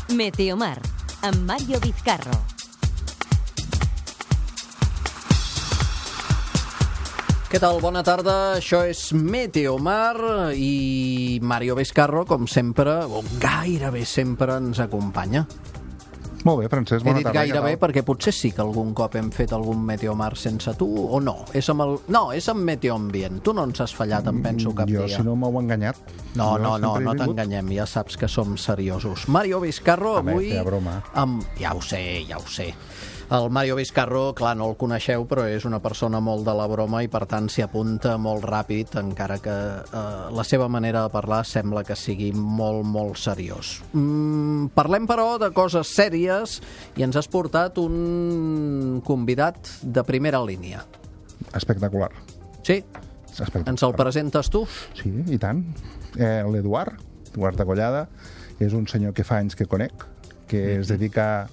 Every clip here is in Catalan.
Meteomar, amb Mario Vizcarro. Què tal? Bona tarda, això és Meteomar i Mario Vizcarro, com sempre, o gairebé sempre, ens acompanya. Molt bé, Francesc, bona tarda. He dit gairebé perquè potser sí que algun cop hem fet algun Meteomar sense tu, o no? És amb Meteoambient. Tu no ens has fallat, em penso, cap dia. Jo, si no m'heu enganyat. No t'enganyem, ja saps que som seriosos. Mario Vizcarro, avui... feia broma. Ja ho sé. El Mario Vizcarro, clar, no el coneixeu, però és una persona molt de la broma i, per tant, s'hi apunta molt ràpid, encara que la seva manera de parlar sembla que sigui molt, molt seriós. Parlem, però, de coses sèries i ens has portat un convidat de primera línia. Espectacular. Sí? Espectacular. Ens el presentes tu? Sí, i tant. L'Eduard de Collada, és un senyor que fa anys que conec, que es dedica...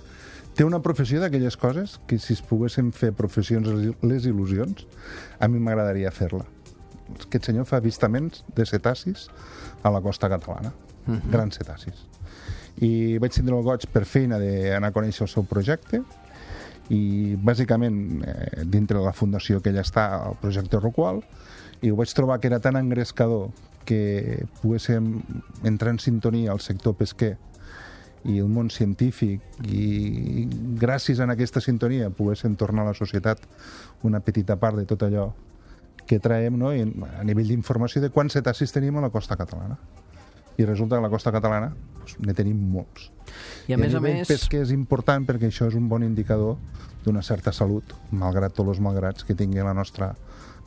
Té una professió d'aquelles coses que, si es poguessin fer professions les il·lusions, a mi m'agradaria fer-la. Aquest senyor fa avistaments de cetacis a la costa catalana. Grans cetacis. I vaig tindre el goig per feina d'anar a conèixer el seu projecte i, bàsicament, dintre de la fundació que ella està, el projecte Roqual, i ho vaig trobar que era tan engrescador que poguéssim entrar en sintonia al sector pesquer i el món científic, i gràcies a aquesta sintonia poguéssim tornar a la societat una petita part de tot allò que traiem, no? I a nivell d'informació de quants cetacis tenim a la costa catalana. I resulta que a la costa catalana ne tenim molts. I a més, pesquer és important perquè això és un bon indicador d'una certa salut, malgrat tots els malgrats que tingui la nostra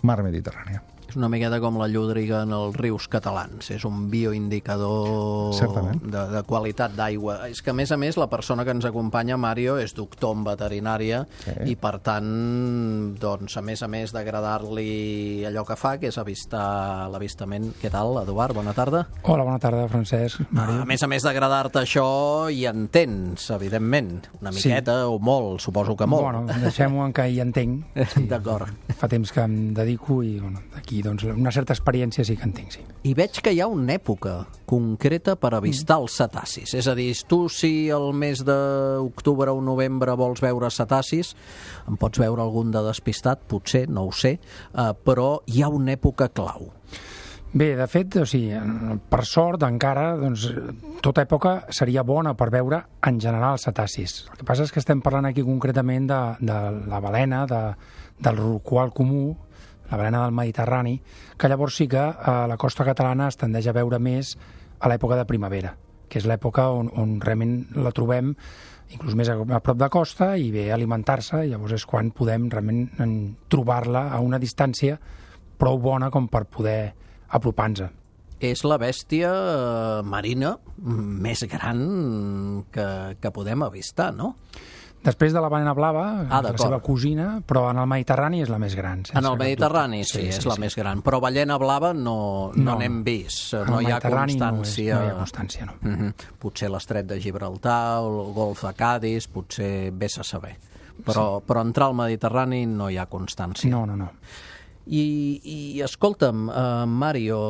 mar Mediterrània. És una miqueta com la llúdriga en els rius catalans. És un bioindicador de qualitat d'aigua. És que, a més, la persona que ens acompanya, Mario, és doctor en veterinària i, per tant, doncs, a més d'agradar-li allò que fa, que és avistar l'avistament. Què tal, Eduard? Bona tarda. Hola, bona tarda, Francesc. Mario. A més d'agradar-te això, hi entens, evidentment. Una miqueta o molt, suposo que molt. Bueno, deixem-ho en que hi entenc. Sí. D'acord. Fa temps que em dedico i, aquí, doncs, una certa experiència sí que en tinc, sí. I veig que hi ha una època concreta per avistar els cetacis. És a dir, tu, si el mes d'octubre o novembre vols veure cetacis, en pots veure algun de despistat, potser, no ho sé, però hi ha una època clau. Bé, de fet, per sort, encara, doncs, tota època seria bona per veure, en general, cetacis. El que passa és que estem parlant aquí concretament de la balena, del rorqual comú, la balena del Mediterrani, que llavors sí que a la costa catalana es tendeix a veure més a l'època de primavera, que és l'època on realment la trobem inclús més a prop de costa i ve a alimentar-se, i llavors és quan podem realment trobar-la a una distància prou bona com per poder apropar-nos. És la bèstia marina més gran que podem avistar, no? Després de la balena blava, la seva cosina, però en el Mediterrani és la més gran. En el Mediterrani sí, és la més gran, però balena blava no n'hem vist, no hi ha constància. No hi ha constància, no. Potser l'estret de Gibraltar, el golf de Cadis, potser vés a saber. Però entrar al Mediterrani no hi ha constància. No. I escolta'm, Mario,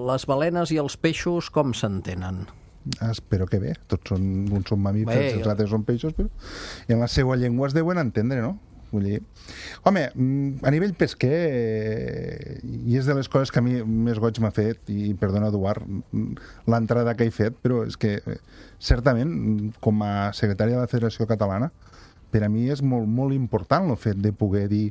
les balenes i els peixos com s'entenen? Espero que bé, tots uns són mamífers, els altres són peixos, però en la seva llengua es deuen entendre, no? Vull dir, home, a nivell pesquer, i és de les coses que a mi més goig m'ha fet, i perdona, Eduard, l'entrada que he fet, però és que, certament, com a secretari de la Federació Catalana, per a mi és molt, molt important el fet de poder dir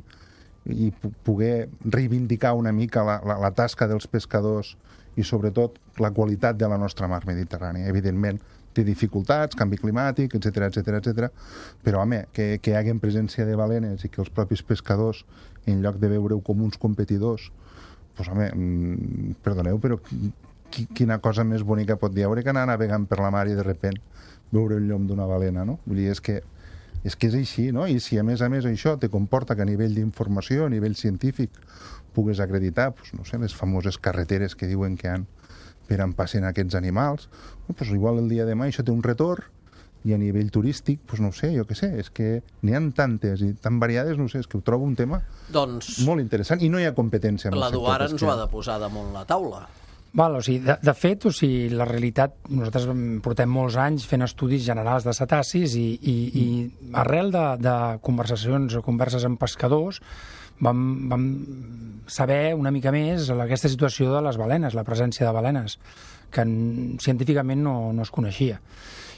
i poder reivindicar una mica la tasca dels pescadors i, sobretot, la qualitat de la nostra mar Mediterrània. Evidentment, té dificultats, canvi climàtic, etc. Però, home, que hi hagi presència de balenes i que els propis pescadors, en lloc de veure-ho com uns competidors, doncs, home, perdoneu, però quina cosa més bonica pot dir que anar navegant per la mar i, de repent, veure el llom d'una balena, no? Vull dir, és que és així, no? I si, a més, això te comporta que a nivell d'informació, a nivell científic, pugues acreditar, no sé, les famoses carreteres que diuen que han per on passen aquests animals, igual el dia de demà això té un retorn, i a nivell turístic, no sé, jo què sé, és que n'hi ha tantes i tan variades, no sé, és que ho trobo un tema molt interessant, i no hi ha competència. L'Eduard ens ho ha de posar damunt la taula. Val, o sigui, de fet, o sigui, la realitat, nosaltres portem molts anys fent estudis generals de cetacis i arrel de conversacions o converses amb pescadors vam saber una mica més aquesta situació de les balenes, la presència de balenes, que científicament no es coneixia.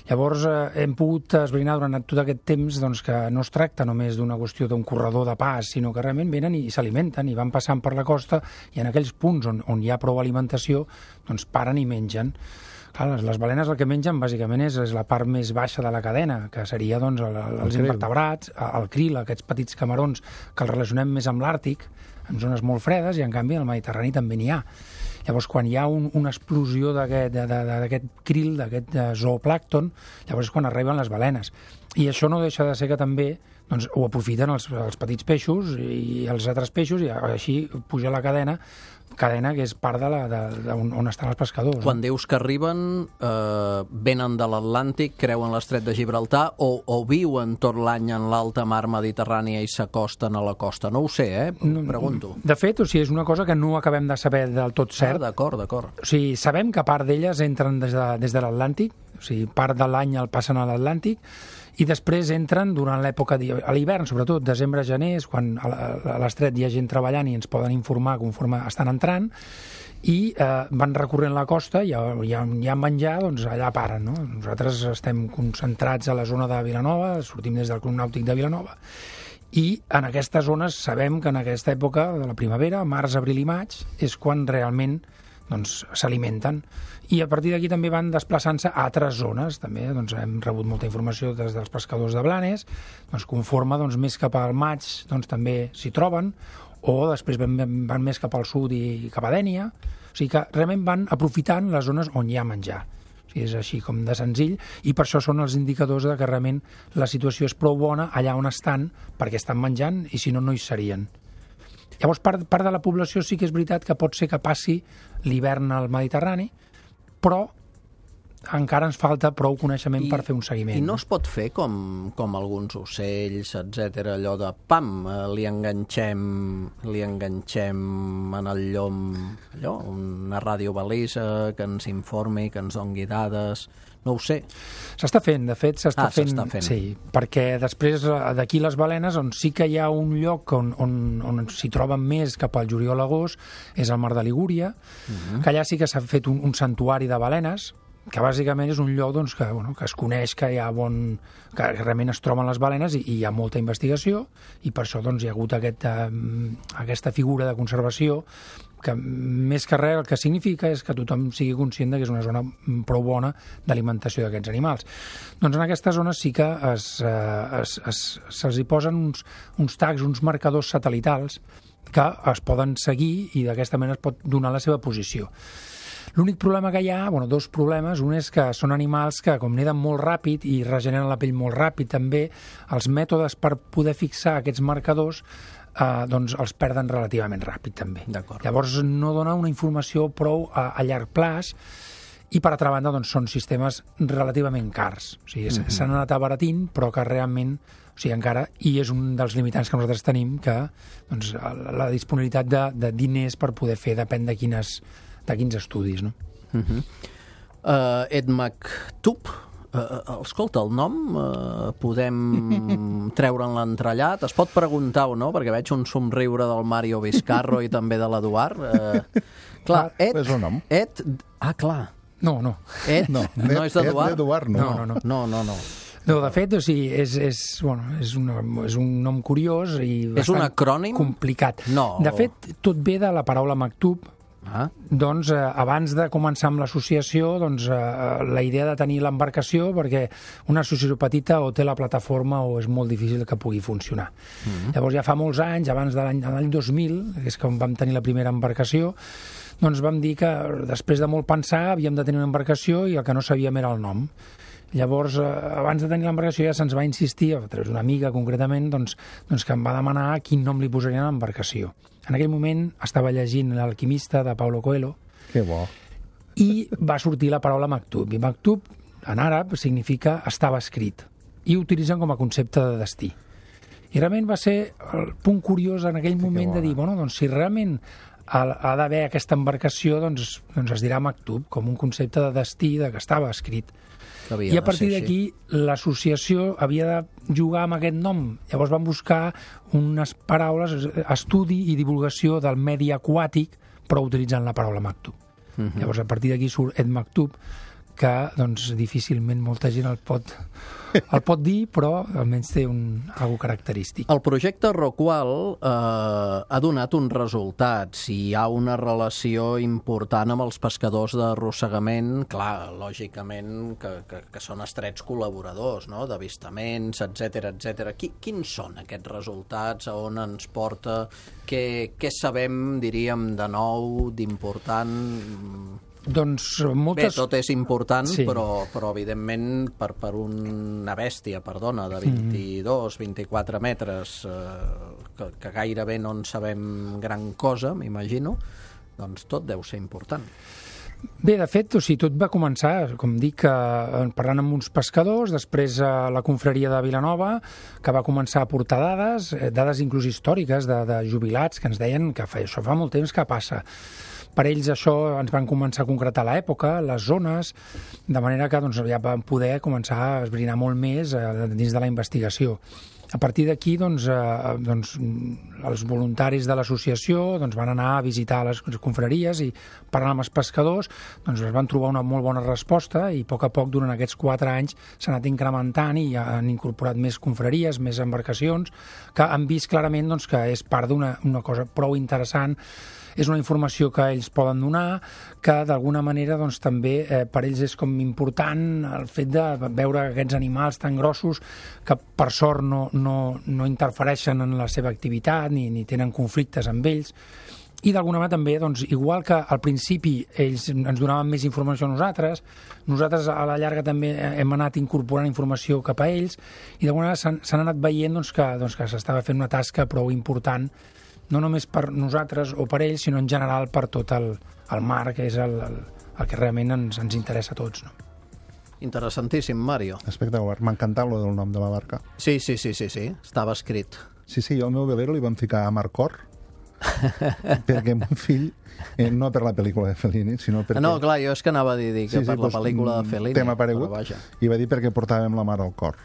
Llavors hem pogut esbrinar durant tot aquest temps doncs, que no es tracta només d'una qüestió d'un corredor de pas, sinó que realment venen i s'alimenten i van passant per la costa i en aquells punts on hi ha prou alimentació doncs paren i mengen. Clar, les balenes el que mengen bàsicament és la part més baixa de la cadena, que seria doncs, els invertebrats, el krill, aquests petits camarons que els relacionem més amb l'Àrtic, en zones molt fredes, i en canvi al Mediterrani també n'hi ha. Llavors, quan hi ha una explosió d'aquest krill, d'aquest zooplàncton, llavors és quan arriben les balenes. I això no deixa de ser que també doncs, ho aprofiten els petits peixos i els altres peixos, i així puja la cadena que és part on estan els pescadors. Quan dius que arriben, venen de l'Atlàntic, creuen l'estret de Gibraltar o viuen tot l'any en l'alta mar Mediterrània i s'acosten a la costa? No ho sé, pregunto. De fet, o sigui, és una cosa que no acabem de saber del tot cert. D'acord. O sigui, sabem que part d'elles entren des de l'Atlàntic, o sigui, part de l'any el passen a l'Atlàntic, i després entren durant l'època, a l'hivern, sobretot, desembre-gener, és quan a l'estret hi ha gent treballant i ens poden informar conforme estan entrant, i van recorrent la costa i hi ha menjar, doncs allà paren. No? Nosaltres estem concentrats a la zona de Vilanova, sortim des del Club Nàutic de Vilanova, i en aquestes zones sabem que en aquesta època de la primavera, març, abril i maig, és quan realment doncs, s'alimenten. I a partir d'aquí també van desplaçant-se a altres zones. També doncs, hem rebut molta informació des dels pescadors de Blanes, doncs, conforme doncs, més cap al maig doncs, també s'hi troben, o després van més cap al sud i cap a Dènia. O sigui que realment van aprofitant les zones on hi ha menjar. O sigui, és així com de senzill, i per això són els indicadors de que realment la situació és prou bona allà on estan, perquè estan menjant, i si no, no hi serien. Llavors, part de la població sí que és veritat que pot ser que passi l'hivern al Mediterrani, però encara ens falta prou coneixement per fer un seguiment. I no es pot fer com alguns ocells, etc, allò de pam, li enganxem en el llom una radiobalisa que ens informi, que ens doni dades. No ho sé. S'està fent, de fet, s'està fent. Sí, perquè després d'aquí les balenes, on sí que hi ha un lloc on s'hi troben més cap al juliol-agost, és el mar de Ligúria, que allà sí que s'ha fet un santuari de balenes, que bàsicament és un lloc doncs, que es coneix que hi ha que realment es troben les balenes i hi ha molta investigació, i per això doncs, hi ha hagut aquesta figura de conservació que més que res el que significa és que tothom sigui conscient que és una zona prou bona d'alimentació d'aquests animals. Doncs en aquestes zones sí que se'ls hi posen uns tags, uns marcadors satellitals que es poden seguir i d'aquesta manera es pot donar la seva posició. L'únic problema que hi ha, dos problemes, un és que són animals que com neden molt ràpid i regeneren la pell molt ràpid també, els mètodes per poder fixar aquests marcadors doncs els perden relativament ràpid també. Llavors no dona una informació prou a llarg plaç i per altra banda doncs, són sistemes relativament cars. O sigui, s'han anat abaratint però que realment encara, i és un dels limitants que nosaltres tenim, que doncs, la disponibilitat de diners per poder fer depèn de quins estudis. No? EDMACTUB, escolta, el nom podem treure'n l'entrellat? Es pot preguntar o no? Perquè veig un somriure del Mario Vizcarro i també de l'Eduard. Clar, és un nom. Clar. No. No és d'Eduard? No. No, de fet, és un nom curiós i és un acrònim? Complicat. No. De fet, tot ve de la paraula maktub. Doncs abans de començar amb l'associació, la idea de tenir l'embarcació, perquè una associació petita o té la plataforma o és molt difícil que pugui funcionar. Llavors ja fa molts anys, abans de l'any 2000, que és quan vam tenir la primera embarcació, doncs vam dir que després de molt pensar havíem de tenir una embarcació i el que no sabíem era el nom. Llavors, abans de tenir l'embarcació ja se'ns va insistir, a través d'una amiga concretament, que em va demanar quin nom li posarien a l'embarcació. En aquell moment estava llegint L'alquimista de Paulo Coelho. Que bo. I va sortir la paraula maktub. I maktub, en àrab, significa estava escrit. I ho utilitzen com a concepte de destí. I realment va ser el punt curiós en aquell moment de dir, si realment ha d'haver aquesta embarcació, doncs es dirà Maktub, com un concepte de destí que estava escrit. I a partir d'aquí l'associació havia de jugar amb aquest nom. Llavors van buscar unes paraules, estudi i divulgació del medi aquàtic, però utilitzant la paraula Maktub. Llavors a partir d'aquí surt Ed Maktub, que doncs difícilment molta gent el pot dir, però almenys té algo característic. El projecte Rockwall ha donat uns resultats. Hi ha una relació important amb els pescadors d'arrossegament, clar, lògicament que són estrets col·laboradors, no?, d'avistaments, etc. Quins són aquests resultats? A on ens porta? Què sabem, diríem, de nou, d'important? Doncs Bé, moltes... tot és important, sí. però evidentment per una bèstia, de 22-24 metres, que gairebé no en sabem gran cosa, m'imagino, doncs tot deu ser important. Bé, de fet, tot va començar, com dic, parlant amb uns pescadors, després la confraria de Vilanova, que va començar a portar dades inclús històriques de jubilats, que ens deien que això fa molt temps que passa. Per ells això ens van començar a concretar l'època, les zones, de manera que ja vam poder començar a esbrinar molt més dins de la investigació. A partir d'aquí, els voluntaris de l'associació van anar a visitar les confraries i parlant amb els pescadors es van trobar una molt bona resposta i a poc, durant aquests 4 anys, s'ha anat incrementant i han incorporat més confraries, més embarcacions, que han vist clarament que és part d'una cosa prou interessant. És una informació que ells poden donar, que d'alguna manera també per ells és com important el fet de veure aquests animals tan grossos que per sort no interfereixen en la seva activitat ni tenen conflictes amb ells. I d'alguna manera també, igual que al principi ells ens donaven més informació a nosaltres a la llarga també hem anat incorporant informació cap a ells i d'alguna manera s'han anat veient que s'estava fent una tasca prou important, no només per nosaltres o per ells, sinó en general per tot el mar, que és el que realment ens interessa a tots. No? Interessantíssim, Mario. Espectacular. M'ha encantat lo del nom de la barca. Sí, estava escrit. Sí, jo al meu velero li van ficar a Marcor, perquè mon fill, no per la pel·lícula de Fellini, sinó perquè... No, clar, jo és que anava a dir que per la pel·lícula de Fellini. Tema aparegut, i va dir perquè portàvem la mar al cor.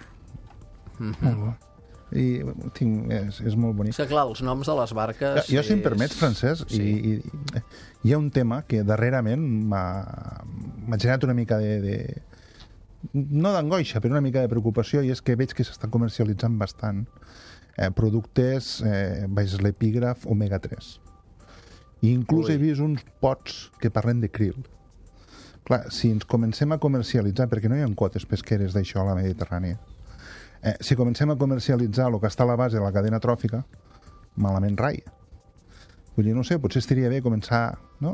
Molt bo. I és molt bonic. És que clar, els noms de les barques... Jo, si em permets, Francesc, hi ha un tema que darrerament m'ha generat una mica no d'angoixa, però una mica de preocupació, i és que veig que s'estan comercialitzant bastant productes baix l'epígraf omega-3. I inclús he vist uns pots que parlen de krill. Clar, si ens comencem a comercialitzar, perquè no hi ha quotes pesqueres d'això a la Mediterrània, si comencem a comercialitzar el que està a la base de la cadena tròfica, malament rai. Vull dir, no sé, potser estaria bé començar no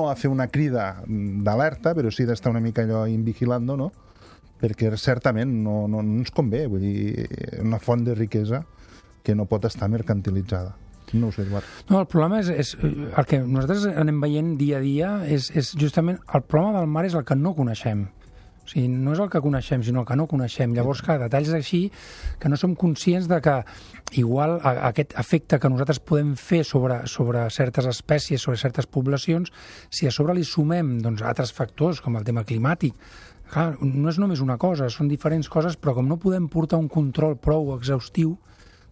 a fer una crida d'alerta, però sí d'estar una mica allò invigilando, no? Perquè certament no ens convé, vull dir, una font de riquesa que no pot estar mercantilitzada. No ho sé, Eduard. No, el problema és el que nosaltres anem veient dia a dia, és justament el problema del mar és el que no coneixem. O sigui, no és el que coneixem, sinó el que no coneixem. Llavors, detalls així que no som conscients de que igual aquest efecte que nosaltres podem fer sobre certes espècies, sobre certes poblacions, si a sobre li sumem altres factors, com el tema climàtic, clar, no és només una cosa, són diferents coses, però com no podem portar un control prou exhaustiu,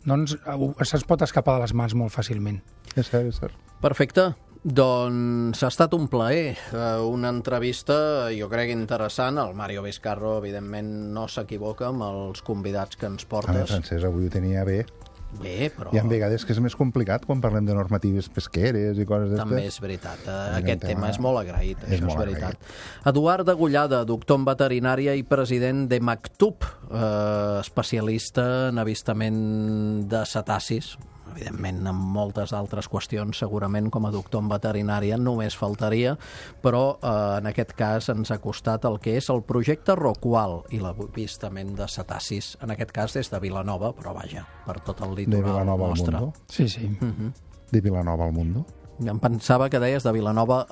doncs se'ns pot escapar de les mans molt fàcilment. És cert. Perfecte. Doncs ha estat un plaer, una entrevista jo crec interessant. El Mario Vizcarro evidentment no s'equivoca amb els convidats que ens portes. A veure, Francesc, avui ho tenia bé. Bé, però... Hi ha vegades que és més complicat quan parlem de normatives pesqueres i coses d'estes. També és veritat, aquest tema és molt agraït, això és veritat. Eduard Degollada, doctor en veterinària i president de Maktub, especialista en avistament de cetacis, evidentment amb moltes altres qüestions, segurament com a doctor en veterinària només faltaria, però en aquest cas ens ha costat el que és el projecte Rockwall i l'avistament de cetacis, en aquest cas des de Vilanova, però vaja, per tot el litoral nostre. Al mundo? Sí. De Vilanova al mundo? Em pensava que deies de Vilanova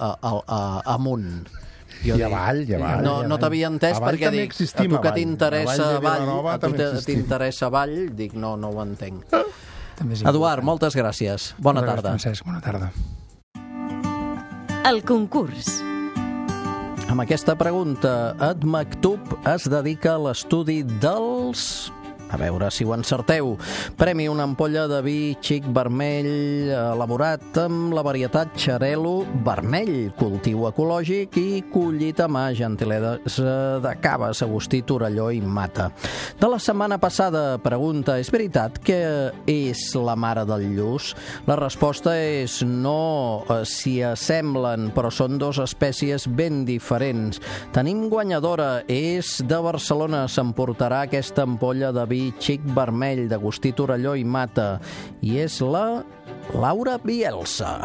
amunt. I avall. No t'havia entès perquè dic, a tu que t'interessa avall, dic, no ho entenc. Eduard, moltes gràcies. Bona tarda. Francesc, bona tarda. El concurs. Amb aquesta pregunta, Ed Maktub es dedica a l'estudi dels... A veure si ho encerteu. Premi una ampolla de vi xic vermell elaborat amb la varietat Xarel·lo vermell, cultiu ecològic i collit a mà, gentilesa de Caves, Agustí, Torelló i Mata. De la setmana passada, pregunta, és veritat que és la mare del lluç? La resposta és no, s'hi assemblen, però són dues espècies ben diferents. Tenim guanyadora, és de Barcelona, s'emportarà aquesta ampolla de vi xic vermell d'Agustí, Torelló i Mata, i és la Laura Bielsa.